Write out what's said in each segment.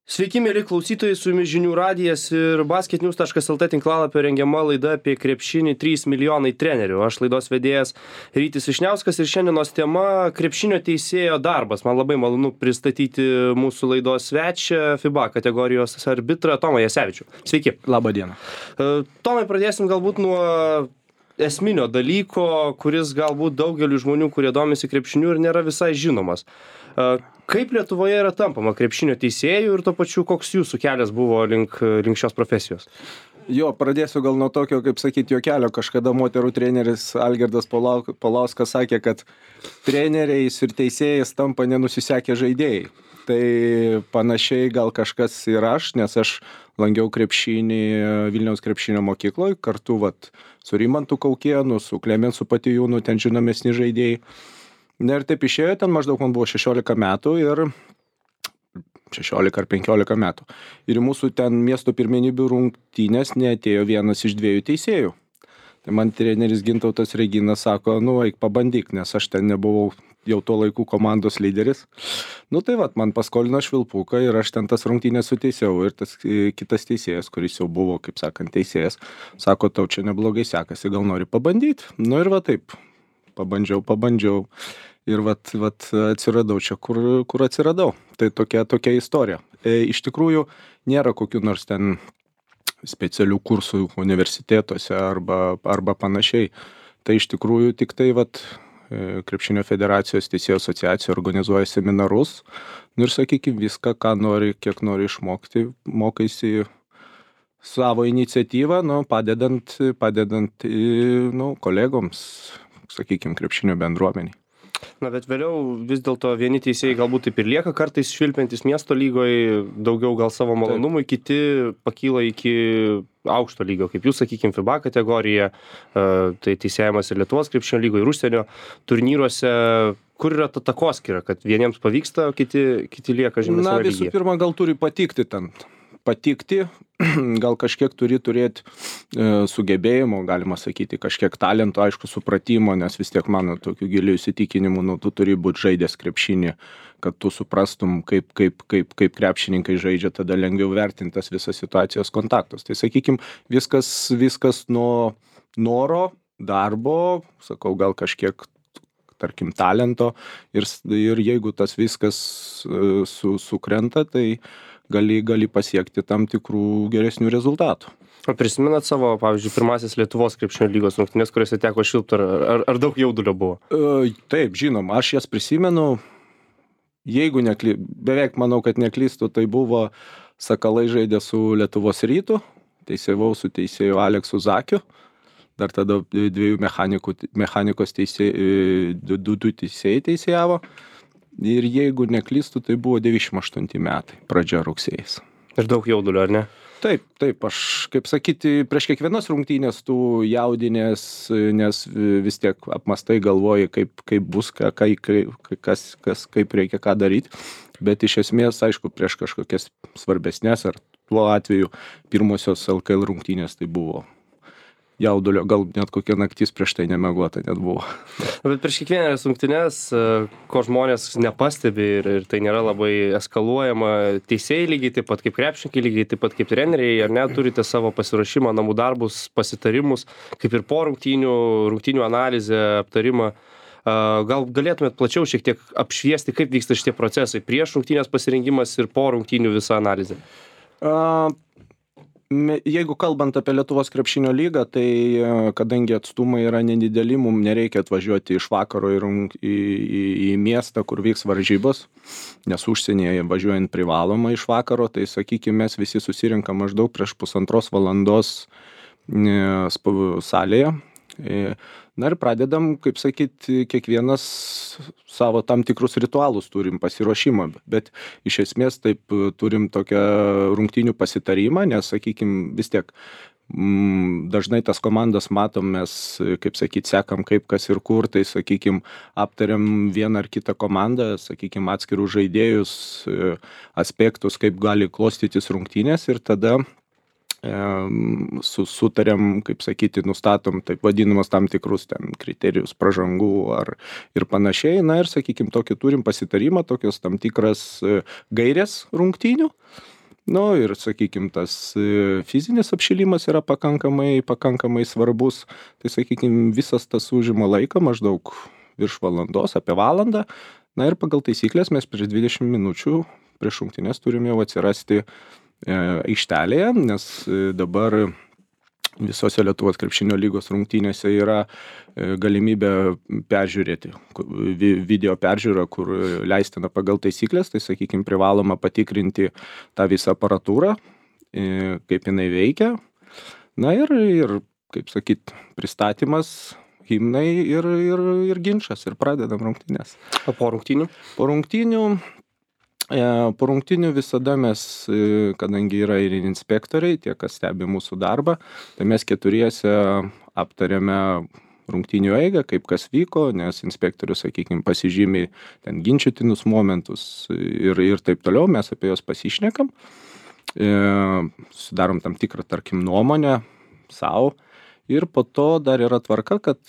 Sveiki, mėly klausytojai, su jumis Žinių radijas ir basketnews.lt tinklalapio rengiama laida apie krepšinį 3 milijonai trenerių. Aš laidos vedėjas Rytis Vyšniauskas ir šiandienos tema krepšinio teisėjo darbas. Man labai malonu pristatyti mūsų laidos svečią FIBA kategorijos arbitrą Tomą Jasevičių. Sveiki. Labą dieną. Tomai, pradėsim galbūt nuo esminio dalyko, kuris galbūt daugeliu žmonių, kurie domisi krepšiniu ir nėra visai žinomas. Kaip Lietuvoje yra tampama krepšinio teisėjų ir tuo pačiu koks jūsų kelias buvo link šios profesijos? Jo, pradėsiu gal nuo tokio, kaip sakyti, juokelio. Kažkada moterų treneris Algirdas Paulauskas sakė, kad treneriais ir teisėjais tampa nenusisekę žaidėjai. Tai panašiai gal kažkas ir aš, nes aš lankiau krepšinį Vilniaus krepšinio mokykloje, kartu su Rimantu Kaukėnu, su Klemensu Patijūnu, ten žinomesni žaidėjai. Ir taip išėjo, ten maždaug man buvo 16 metų ir 16 ar 15 metų. Ir mūsų ten miesto pirmenybių rungtynės neatėjo vienas iš 2 teisėjų. Tai man treneris Gintautas Reginas sako, eik pabandyk, nes aš ten nebuvau jau tuo laiku komandos lyderis. Tai man paskolino švilpuką ir aš ten tas rungtynės suteisėjau. Ir tas kitas teisėjas, kuris jau buvo, kaip sakant, teisėjas, sako, tau čia neblogai sekasi, gal nori pabandyti. Ir taip. Pabandžiau ir atsiradau čia, kur atsiradau. Tai tokia istorija. Iš tikrųjų, nėra kokių nors ten specialių kursų universitetuose arba panašiai. Tai iš tikrųjų tik tai Krepšinio federacijos teisėjų asociacija organizuoja seminarus. Ir sakykime, viską, ką nori, kiek nori išmokti, mokaisi savo iniciatyvą, padedant kolegoms, sakykime, krepšinio bendruomeniai. Bet vėliau vis dėlto vieni teisėjai galbūt taip ir lieka kartais švilpiantis miesto lygoje, daugiau gal savo malonumui, kiti pakyla iki aukšto lygio, kaip jūs, sakykime, FIBA kategorija, tai teisėjimas ir Lietuvos krepšinio lygoje, ir užsienio turnyruose. Kur yra ta takoskyra, kad vieniems pavyksta, o kiti lieka žemesnėje lygyje? Visų pirma, gal turi patikti, gal kažkiek turi turėti sugebėjimo, galima sakyti, kažkiek talento, aišku, supratimo, nes vis tiek mano tokių gilių įsitikinimų, tu turi būti žaidęs krepšinį, kad tu suprastum, kaip krepšininkai žaidžia, tada lengviau vertintas visas situacijos kontaktus. Tai sakykime, viskas nuo noro, darbo, sakau, gal kažkiek, tarkim, talento ir jeigu tas viskas sukrenta, tai gali pasiekti tam tikrų geresnių rezultatų. Prisimenat savo, pavyzdžiui, pirmasis Lietuvos krepšinio lygos rungtynės, kuriuose teko švilpti, ar daug jaudulio buvo? Taip, žinom, aš jas prisimenu, jeigu beveik manau, kad neklystu, tai buvo Sakalai žaidė su Lietuvos Rytu, teisėjau su teisėju Aleksu Zakiu, dar tada 2 mechanikos teisėjai, 2 teisėjai teisėjavo. Ir jeigu neklystu, tai buvo 98 metai, pradžia rugsėjais. Ir daug jaudulio, ar ne? Taip, aš, kaip sakyti, prieš kiekvienas rungtynės tu jaudinės, nes vis tiek apmastai galvoji, kaip bus, kaip reikia ką daryti. Bet iš esmės, aišku, prieš kažkokias svarbesnės, ar tuo atveju pirmosios LKL rungtynės tai buvo jaudulio, gal net kokia naktis prieš tai nemegota net buvo. Bet prieš kiekvienas rungtynes, ko žmonės nepastebi ir tai nėra labai eskaluojama, teisėjai lygiai taip pat kaip krepšininkai, lygiai taip pat kaip treneriai, ar ne, turite savo pasiruošimą, namų darbus, pasitarimus, kaip ir po rungtynių analizę, aptarimą. Gal galėtumėt plačiau šiek tiek apšviesti, kaip vyksta šitie procesai prieš rungtynės pasirengimas ir po rungtynių visa analizė? Jeigu kalbant apie Lietuvos krepšinio lygą, tai kadangi atstumai yra nedideli, mums nereikia atvažiuoti iš vakaro į miestą, kur vyks varžybos, nes užsienyje važiuojant privaloma iš vakaro, tai sakykime, mes visi susirinkam maždaug prieš 1,5 valandos salėje. Ir pradedam, kaip sakyti, kiekvienas savo tam tikrus ritualus turim pasiruošimą, bet iš esmės taip turim tokią rungtynių pasitarimą, nes, sakykime, vis tiek dažnai tas komandas matom, mes, kaip sakyti, sekam kaip kas ir kur, tai, sakykime, aptariam vieną ar kitą komandą, sakykime, atskirų žaidėjus, aspektus, kaip gali klostytis rungtynės ir tada sutarėm, kaip sakyti, nustatom taip vadinamas tam tikrus ten kriterijus pražangų ir panašiai. Na ir, sakykime, tokį turim pasitarimą, tokios tam tikras gairės rungtynių. Nu ir, sakykime, tas fizinis apšilimas yra pakankamai svarbus. Tai, sakykime, visas tas užima laiką maždaug virš valandos, apie valandą. Na ir pagal taisyklės mes prieš 20 minučių prieš rungtynes turim jau atsirasti aikštelėje, nes dabar visose Lietuvos krepšinio lygos rungtynėse yra galimybė peržiūrėti, video peržiūrą, kur leistina pagal taisyklės, tai, sakykime, privaloma patikrinti tą visą aparatūrą, kaip jinai veikia. Na ir kaip sakyt, pristatymas, himnai ir ginčas, ir pradedam rungtynes. O po rungtynių? Po rungtynių visada mes, kadangi yra ir inspektoriai, tie, kas stebi mūsų darbą, tai mes keturiese aptarėme rungtynių eigą, kaip kas vyko, nes inspektorius, sakykime, pasižymi ten ginčytinus momentus ir taip toliau, mes apie juos pasišnekam, sudarom tam tikrą, tarkim, nuomonę savo. Ir po to dar yra tvarka, kad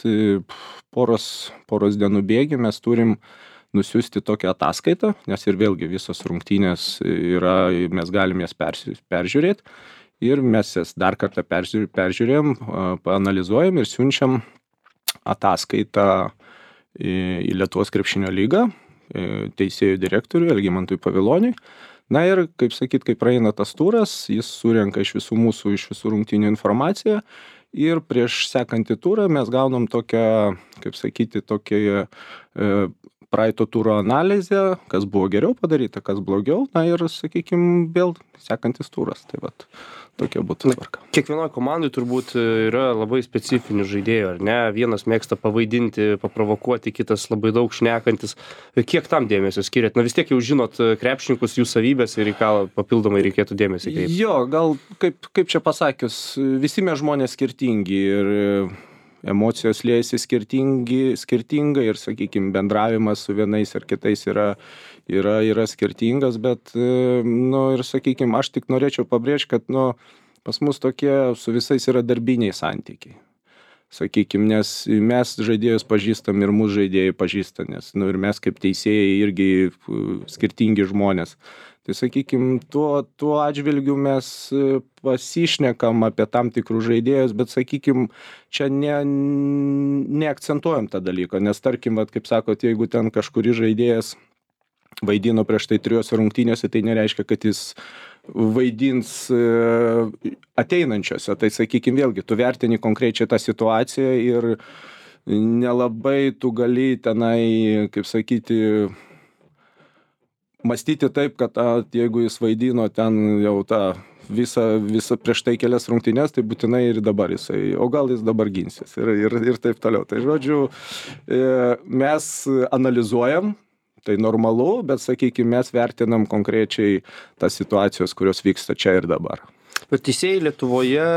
poros dienų bėgy mes turim nusiųsti tokią ataskaitą, nes ir vėlgi visos rungtynės yra, mes galim jas peržiūrėti ir mes jas dar kartą peržiūrėjom, paanalizuojam ir siunčiam ataskaitą į Lietuvos krepšinio lygą, teisėjų direktoriui Algimantui Paviloniui. Na ir, kaip sakyt, kai praeina tas turas, jis surenka iš visų rungtynių informaciją ir prieš sekantį turą mes gaunam tokią, kaip sakyti, tokią praeito turo analizę, kas buvo geriau padaryta, kas blogiau, na ir, sakykime, vėl sekantis turas. Tai vat, tokia būtų tvarka. Kiekvienoje komandai turbūt yra labai specifinių žaidėjų, ar ne? Vienas mėgsta pavaidinti, paprovokuoti, kitas labai daug šnekantis. Kiek tam dėmesio skiriat? Na vis tiek jau žinot krepšininkus, jų savybės ir į ką papildomai reikėtų dėmesį kreipti. Jo, gal kaip čia pasakius, visi mes žmonės skirtingi ir emocijos liejasi skirtingai ir, sakykime, bendravimas su vienais ar kitais yra skirtingas, bet, nu, ir, sakykime, aš tik norėčiau pabrėžti, kad, nu, pas mus tokie su visais yra darbiniai santykiai. Sakykime, nes mes žaidėjus pažįstam ir mūsų žaidėjai pažįsta, nes, nu, ir mes kaip teisėjai irgi skirtingi žmonės. Tai, sakykime, tuo atžvilgiu mes pasišnekam apie tam tikrus žaidėjus, bet, sakykime, čia neakcentuojam tą dalyką, nes, tarkim, kaip sakot, jeigu ten kažkuris žaidėjas vaidino prieš tai 3 rungtynėse, tai nereiškia, kad jis vaidins ateinančiose. Tai, sakykime, vėlgi, tu vertini konkrečiai tą situaciją ir nelabai tu gali tenai, kaip sakyti, mąstyti taip, kad jeigu jis vaidino ten jau tą visą prieš tai kelias rungtynes, tai būtinai ir dabar jisai, o gal jis dabar ginsis ir taip toliau. Tai, žodžiu, mes analizuojam, tai normalu, bet, sakykime, mes vertinam konkrečiai tas situacijos, kurios vyksta čia ir dabar. Bet teisėjai Lietuvoje,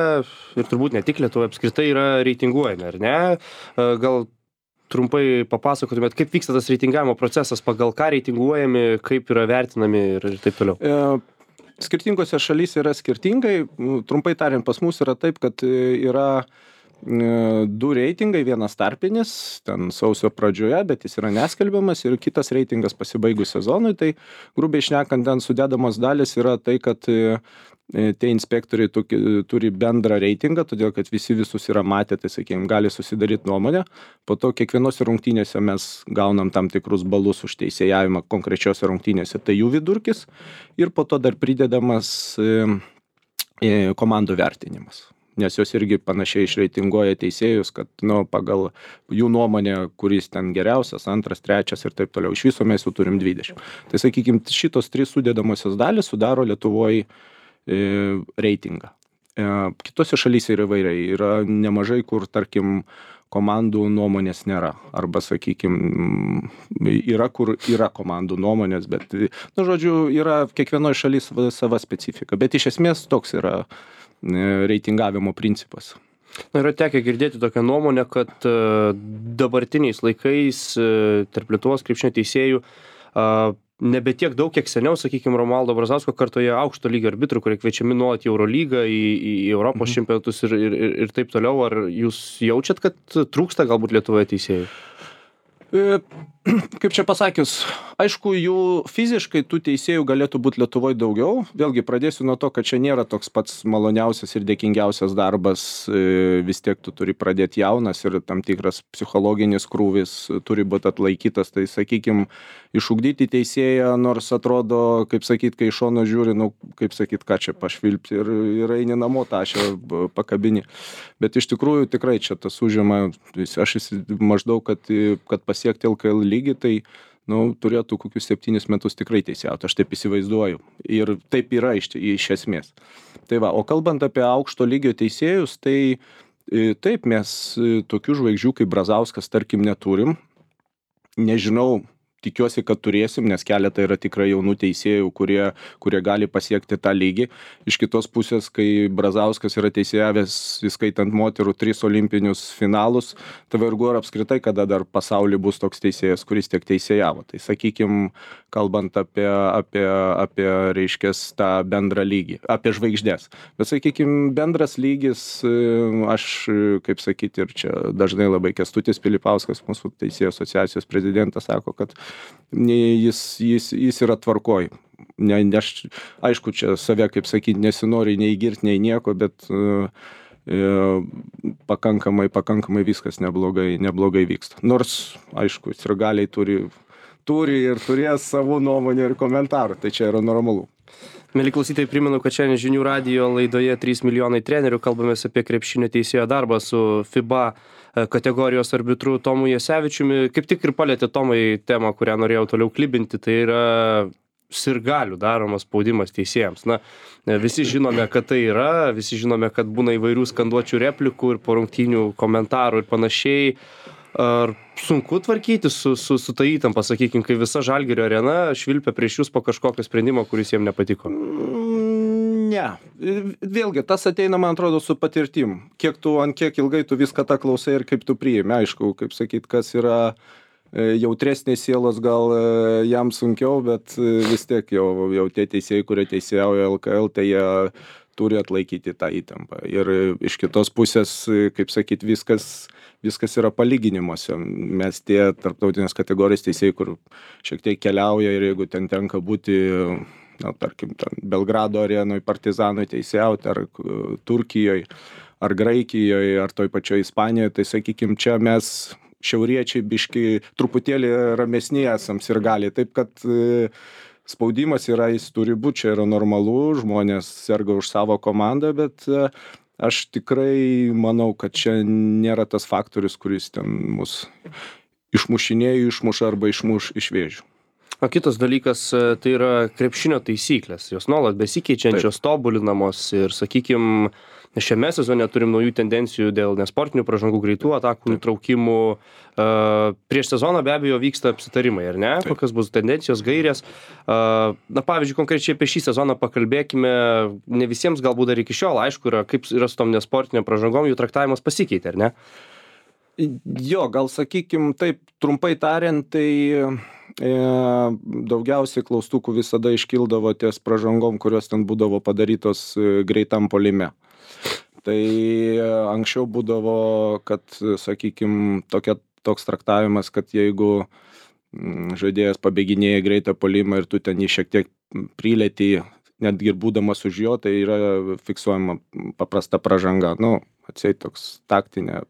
ir turbūt ne tik Lietuvoje, apskritai yra reitinguojami, ar ne? Gal trumpai papasakotumėt, kaip vyksta tas reitingavimo procesas, pagal ką reitinguojami, kaip yra vertinami ir taip toliau? Skirtingose šalyse yra skirtingai. Trumpai tariant, pas mus yra taip, kad yra 2 reitingai, vienas tarpinis, ten sausio pradžioje, bet jis yra neskelbiamas, ir kitas reitingas pasibaigus sezonui. Tai grubiai šnekant, ten sudedamos dalis yra tai, kad tie inspektoriai turi bendrą reitingą, todėl kad visi visus yra matę, tai, sakykime, gali susidaryti nuomonę. Po to kiekvienose rungtynėse mes gaunam tam tikrus balus už teisėjavimą konkrečiose rungtynėse, tai jų vidurkis, ir po to dar pridedamas komandų vertinimas. Nes jos irgi panašiai išreitinguoja teisėjus, kad, nu, pagal jų nuomonę, kuris ten geriausias, antras, trečias ir taip toliau. Iš viso mes jau turim 20. Tai, sakykime, šitos 3 sudedamosios dalys sudaro Lietuvoje reitingą. Kitose šalyse yra įvairiai. Yra nemažai, kur, tarkim, komandų nuomonės nėra. Arba, sakykime, yra, kur yra komandų nuomonės, bet, nu, žodžiu, yra kiekvienoje šalyje sava specifika. Bet iš esmės toks yra reitingavimo principas. Na, yra tekę girdėti tokią nuomonę, kad dabartiniais laikais tarp Lietuvos krepšinio teisėjų nebe tiek daug, kiek seniau, sakykime, Romualdo Brazausko kartoje aukšto lygio arbitrų, kurie kviečiami nuolat į Eurolygą, į Europos čempionatus ir taip toliau. Ar jūs jaučiat, kad trūksta galbūt Lietuvoje teisėjų? kaip čia pasakius, aišku, jų fiziškai tų teisėjų galėtų būti Lietuvoje daugiau. Vėlgi pradėsiu nuo to, kad čia nėra toks pats maloniausias ir dėkingiausias darbas. Vis tiek tu turi pradėti jaunas ir tam tikras psichologinis krūvis turi būti atlaikytas. Tai, sakykime, išugdyti teisėją, nors atrodo, kaip sakyt, kai iš šono žiūri, nu, kaip sakyt, ką čia pašvilpti ir eini namo tašę pakabini. Bet iš tikrųjų tikrai čia tas užima, aš maždaug, kad pasiekti LKL lygį, tai turėtų kokius 7 metus tikrai teisėjauti, aš taip įsivaizduoju. Ir taip yra iš esmės. Tai va, o kalbant apie aukšto lygio teisėjus, tai taip, mes tokių žvaigždžių kaip Brazauskas, tarkim, neturim. Nežinau, tikiuosi, kad turėsim, nes keletą yra tikrai jaunų teisėjų, kurie gali pasiekti tą lygį. Iš kitos pusės, kai Brazauskas yra teisėjavęs, įskaitant moterų 3 olimpinius finalus, tai vargu ar apskritai, kada dar pasaulyje bus toks teisėjas, kuris tiek teisėjavo. Tai sakykim, kalbant apie reiškės tą bendrą lygį, apie žvaigždės. Bet sakykim, bendras lygis, aš, kaip sakyti, ir čia dažnai labai Kęstutis Pilipauskas, mūsų teisėjų asociacijos prezidentas, sako, kad jis yra tvarkoj. Aišku, čia save, kaip sakyti, nesinori nei girt, nei nieko, bet pakankamai viskas neblogai vyksta. Nors, aišku, sirgaliai turi ir turės savo nuomonę ir komentarų, tai čia yra normalu. Mieli klausytojai, primenu, kad šiandien Žinių radijo laidoje 3 milijonai trenerių kalbamės apie krepšinio teisėjo darbą su FIBA kategorijos arbitru Tomu Jasevičiumi. Kaip tik ir palėtė Tomai temą, kurią norėjau toliau klibinti, tai yra sirgalių daromas spaudimas teisėjams. Na, visi žinome, kad tai yra, visi žinome, kad būna įvairių skanduočių replikų ir po rungtynių komentarų ir panašiai. Ar sunku tvarkyti su ta įtampa, sakykime, kai visa Žalgirio arena švilpia prieš jūs po kažkokio sprendimo, kuris jiems nepatiko? Ne. Vėlgi, tas ateina, man atrodo, su patirtim. Ant kiek ilgai tu viską tą klausai ir kaip tu priimi. Aišku, kaip sakyt, kas yra jautresnės sielos, gal jam sunkiau, bet vis tiek jau tie teisėjai, kurie teisėjauja LKL, tai jie turi atlaikyti tą įtampą. Ir iš kitos pusės, kaip sakyt, viskas yra palyginimuose. Mes tie tarptautinės kategorijos teisėjai, kur šiek tiek keliauja ir jeigu ten tenka būti, tarkim, Belgrado arenoje, Partizanui teisėjauti, ar Turkijoje, ar Graikijoje, ar toj pačioj Ispanijoje, tai sakykim, čia mes šiauriečiai biški truputėlį ramesni esam sirgaliai. Taip, kad spaudimas yra, jis turi būti, čia yra normalu, žmonės serga už savo komandą, bet aš tikrai manau, kad čia nėra tas faktorius, kuris ten mus išmuša arba išmuš iš vėžių. O kitas dalykas, tai yra krepšinio taisyklės. Jos nuolat besikeičiančios, tobulinamos ir, sakykime, šiame sezone turim naujų tendencijų dėl nesportinių pražangų, greitų atakų nutraukimų. Prieš sezoną be abejo vyksta apsitarimai, ar ne? Taip. Kokios bus tendencijos, gairės. Na, pavyzdžiui, konkrečiai apie šį sezoną pakalbėkime. Ne visiems galbūt dar iki šiol aišku yra, kaip yra su tom nesportiniam pražangom, jų traktavimas pasikeitė, ar ne? Jo, gal sakykim taip, trumpai tariant, tai daugiausiai klaustukų visada iškildavo ties pražangom, kurios ten būdavo padarytos greitam puolime. Tai anksčiau būdavo, kad, sakykim, toks traktavimas, kad jeigu žaidėjas pabėginėja greitą puolimą ir tu ten jį šiek tiek prilėti, netgi ir būdamas už jo, tai yra fiksuojama paprasta pražanga. Atseit toks taktinė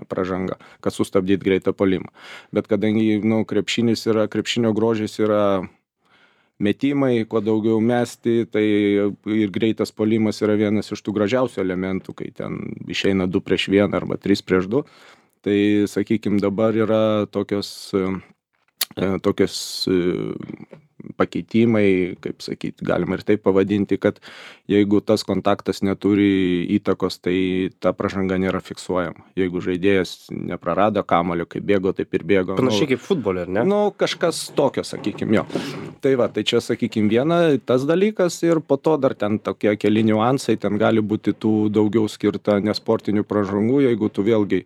pražanga, kad sustabdyt greitą puolimą. Bet kadangi krepšinio grožis yra metimai, kuo daugiau mesti, tai ir greitas puolimas yra vienas iš tų gražiausių elementų, kai ten išeina 2 prieš 1 arba 3 prieš 2. Tai, sakykime, dabar yra tokios pakeitimai, kaip sakyti, galima ir taip pavadinti, kad jeigu tas kontaktas neturi įtakos, tai ta pražanga nėra fiksuojama. Jeigu žaidėjas neprarado kamuolio, kaip bėgo, taip ir bėgo. Panašiai kaip futbolė, ar ne? Kažkas tokio, sakykime, jo. Tai va, tai čia, sakykime, viena tas dalykas ir po to dar ten tokie keli niuansai, ten gali būti tų daugiau skirta nesportinių pražangų, jeigu tu vėlgi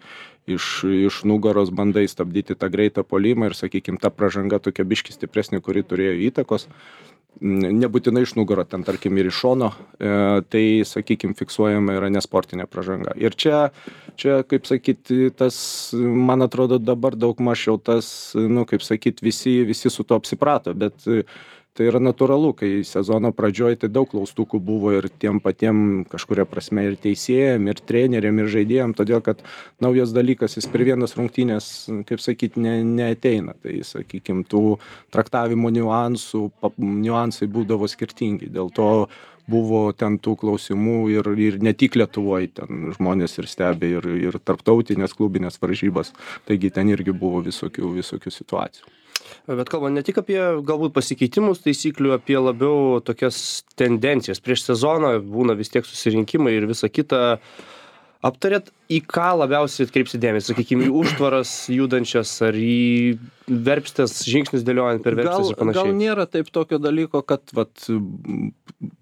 iš nugaros bandai stabdyti tą greitą puolimą ir, sakykime, ta pražanga tokia biški stipresnė, kuri turėjo įtakos, nebūtinai iš nugaro, ten tarkim ir iš šono, tai, sakykime, fiksuojama yra nesportinė pražanga. Ir čia, kaip sakyti, tas, man atrodo, dabar daug mažiau tas, nu, kaip sakyti, visi su to apsiprato, bet tai yra natūralu, kai sezono pradžioj tai daug klaustukų buvo ir tiem patiem kažkuria prasme ir teisėjam, ir treneriam, ir žaidėjam, todėl kad naujas dalykas, jis per vienas rungtynės, kaip sakyti, neateina. Tai, sakykime, tų traktavimo niuansai būdavo skirtingi. Dėl to buvo ten tų klausimų ir ne tik Lietuvoje, ten žmonės ir stebė, ir tarptautinės klubinės varžybas. Taigi ten irgi buvo visokių situacijų. Bet kalbant ne tik apie galbūt pasikeitimus taisyklių, apie labiau tokias tendencijas. Prieš sezoną būna vis tiek susirinkimai ir visa kita. Aptarėt, į ką labiausiai atkreipsi dėmesį? Sakykime, į užtvaras judančias ar į verpstės žingsnis dėliojant per verpstės ir panašiai? Gal nėra taip tokio dalyko, kad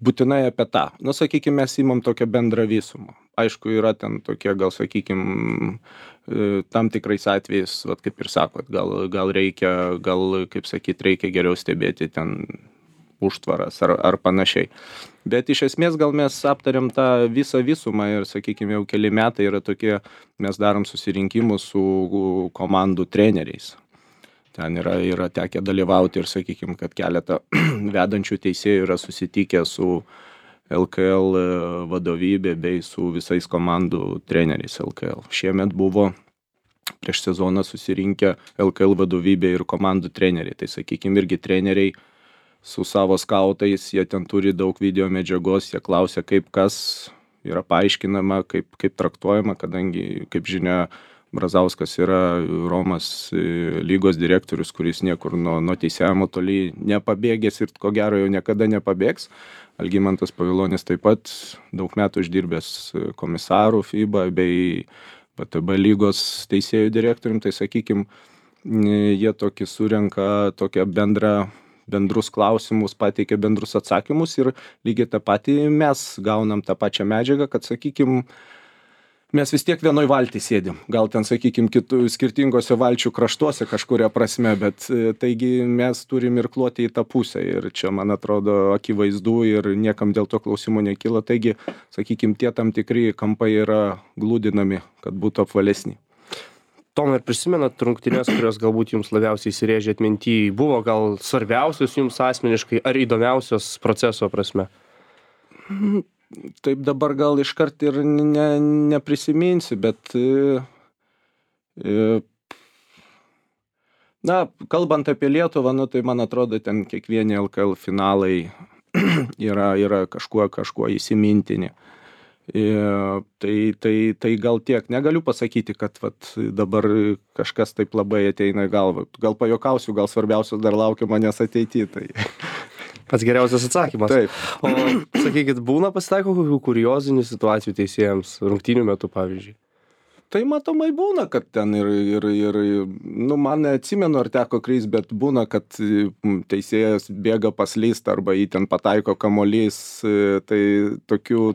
būtinai apie tą. Nu, sakykime, mes įmam tokią bendrą visumą. Aišku, yra ten tokie, gal sakykime, tam tikrais atvejais, kaip ir sakot, gal reikia, kaip sakyt, reikia geriau stebėti ten užtvaras ar panašiai. Bet iš esmės gal mes aptariam tą visą visumą ir, sakykime, jau keli metai yra tokie, mes darom susirinkimus su komandų treneriais. Ten yra tekę dalyvauti ir, sakykime, kad keletą vedančių teisėjų yra susitikę su LKL vadovybė bei su visais komandų treneriais LKL. Šiemet buvo prieš sezoną susirinkę LKL vadovybė ir komandų treneriai. Tai, sakykime, irgi treneriai su savo skautais, jie ten turi daug video medžiagos, jie klausia, kaip kas yra paaiškinama, kaip traktuojama, kadangi, kaip žinia, Brazauskas yra Romos lygos direktorius, kuris niekur nuo teisėjimo toli nepabėgęs ir ko gero jau niekada nepabėgs. Algimantas Pavilonis taip pat daug metų išdirbęs komisarų FIBA bei VTB lygos teisėjų direktorium, tai sakykime, jie tokį surenka tokią bendrus klausimus, pateikia bendrus atsakymus ir lygiai tą patį mes gaunam tą pačią medžiagą, kad, sakykime, mes vis tiek vienoj valty sėdim. Gal ten, sakykime, skirtingose valčių kraštuose kažkuria prasme, bet taigi mes turim ir kloti į tą pusę. Ir čia, man atrodo, akivaizdu ir niekam dėl to klausimų nekyla. Taigi, sakykime, tie tam tikri kampai yra glūdinami, kad būtų apvalesni. Tomai, ar prisimenat rungtynes, kurios galbūt jums labiausiai įsirėžė atminty? Buvo gal svarbiausios jums asmeniškai ar įdomiausios proceso prasme? Taip dabar gal iškart ir neprisiminsi, bet na, kalbant apie Lietuvą, nu, tai man atrodo, ten kiekvieni LKL finalai yra kažkuo įsimintini. Tai gal tiek. Negaliu pasakyti, kad dabar kažkas taip labai ateina į galvą. Gal pajuokausiu, gal svarbiausias dar laukia manęs ateity. Tai... Pats geriausias atsakymas. Taip. O sakykit, būna pasitaiko kokių kuriozinių situacijų teisėjams rungtynių metu, pavyzdžiui? Tai matomai būna, kad ten nu, man neatsimenu, ar teko kreis, bet būna, kad teisėjas bėga paslyst arba jį ten pataiko kamuolys, tai tokių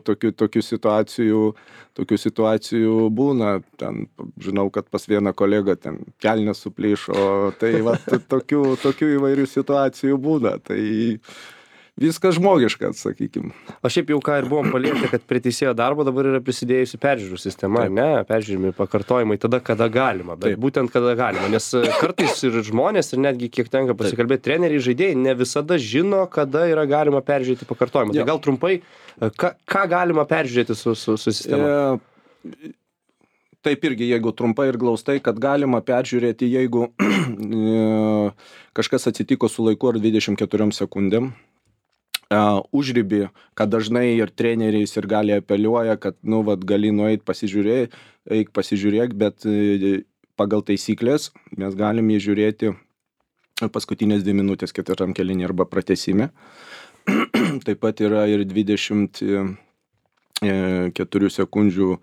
situacijų būna. Ten, žinau, kad pas vieną kolegą ten kelnes suplyšo, tai tokių įvairių situacijų būna. Tai viskas žmogiška, sakykim. O šiaip jau ką ir buvom palietę, kad prie teisėjo darbo dabar yra prisidėjusi peržiūrų sistema, ne? Peržiūrimi pakartojimai tada, kada galima. Bet taip. Būtent kada galima, nes kartais ir žmonės, ir netgi kiek tenka pasikalbėti, treneriai, žaidėjai ne visada žino, kada yra galima peržiūrėti pakartojimą. Tai gal trumpai, ką galima peržiūrėti su sistema? Taip irgi, jeigu trumpai ir glaustai, kad galima peržiūrėti, jeigu kažkas atsitiko su laiku ar 24 sekundėm, užribį, kad dažnai ir treneriais ir gali apeliuoja, kad, nu, gali nueit pasižiūrėk, bet pagal taisyklės mes galim jį žiūrėti paskutinės 2 minutės 4 kėlinį arba pratęsime. Taip pat yra ir 24 sekundžių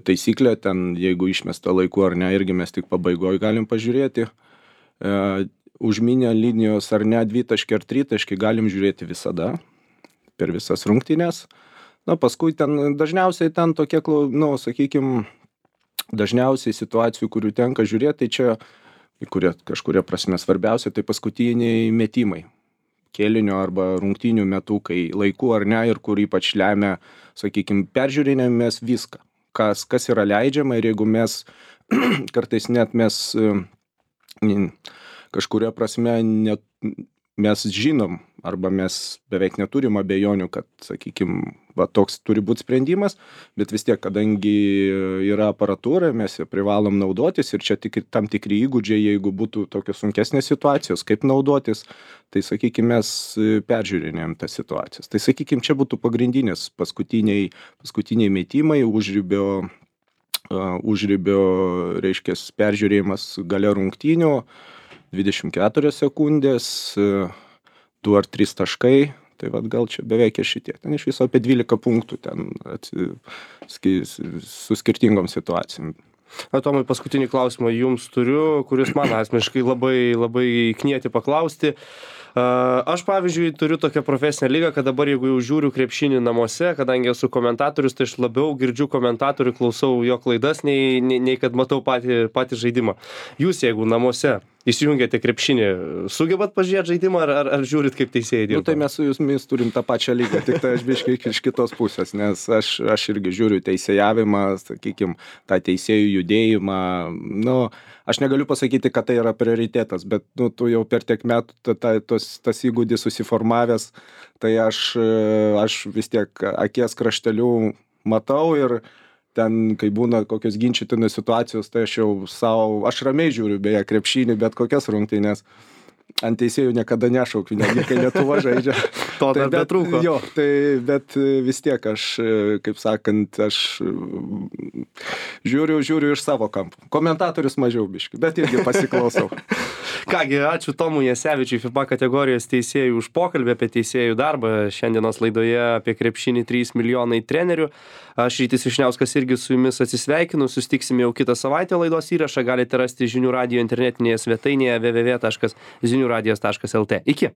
taisyklė, ten jeigu išmesta laiku ar ne, irgi mes tik pabaigoj galim pažiūrėti. Užminę linijos ar ne 2 taškai ar 3 taškai galim žiūrėti visada, per visas rungtynes. Na, paskui ten dažniausiai ten tokie, nu, sakykim, dažniausiai situacijų, kurių tenka žiūrėti, tai čia, kurie kažkuria prasme svarbiausia, tai paskutiniai metimai. kėlinio arba rungtynių metu, kai laiku ar ne, ir kur ypač lemia, sakykime, peržiūrinėmės viską, kas yra leidžiama, ir jeigu mes kartais net mes kažkuria prasme net mes žinom arba mes beveik neturim abejonių, kad, sakykime, toks turi būti sprendimas, bet vis tiek, kadangi yra aparatūra, mes ją privalom naudotis ir čia tik tam tikri įgūdžiai, jeigu būtų tokios sunkesnės situacijos, kaip naudotis, tai, sakykime, mes peržiūrinėjom tas situacijas. Tai, sakykime, čia būtų pagrindinės paskutiniai metimai, užribio, reiškia, peržiūrėjimas gale rungtynių, 24 sekundės, 2 ar 3 taškai, tai gal čia beveik ir šitie. Ten iš viso apie 12 punktų ten su skirtingom situacijom. Tomai, paskutinį klausimą jums turiu, kuris man asmeniškai labai knieti paklausti. Aš, pavyzdžiui, turiu tokią profesinę lygą, kad dabar, jeigu jau žiūriu krepšinį namuose, kadangi esu komentatorius, tai aš labiau girdžiu komentatorių, klausau jo klaidas, nei kad matau patį žaidimą. Jūs, jeigu namuose įsijungiate krepšinį, sugebat pažiūrėti žaidimą ar žiūrit, kaip teisėjai dirba? Tai mes su jumis turim tą pačią lygą, tik tai aš biškai iš kitos pusės, nes aš irgi žiūriu teisėjavimą, sakykime, tą teisėjų judėjimą. Aš negaliu pasakyti, kad tai yra prioritetas, bet tu jau per tiek metų tas įgūdis susiformavęs, tai aš vis tiek akies krašteliu matau ir ten, kai būna kokios ginčytinos situacijos, tai aš ramiai žiūriu, beje, krepšinį, bet kokias rungtynes. Ant teisėjų niekada nešaukiu, netgi kai Lietuva žaidžia. To dar betrūko. Jo, bet vis tiek aš, kaip sakant, aš žiūriu iš savo kampų. Komentatorius mažiau biški, bet irgi pasiklausau. Kągi, ačiū Tomui Jasevičiui, FIBA kategorijos teisėjų, už pokalbį apie teisėjų darbą. Šiandienos laidoje apie krepšinį 3 milijonai trenerių. Aš Rytis Vyšniauskas irgi su jumis atsisveikinu. Susitiksime jau kitą savaitę. Laidos įrašą galite rasti Žinių radijo internetinėje svetainėje www.ziniuradijas.lt. Iki.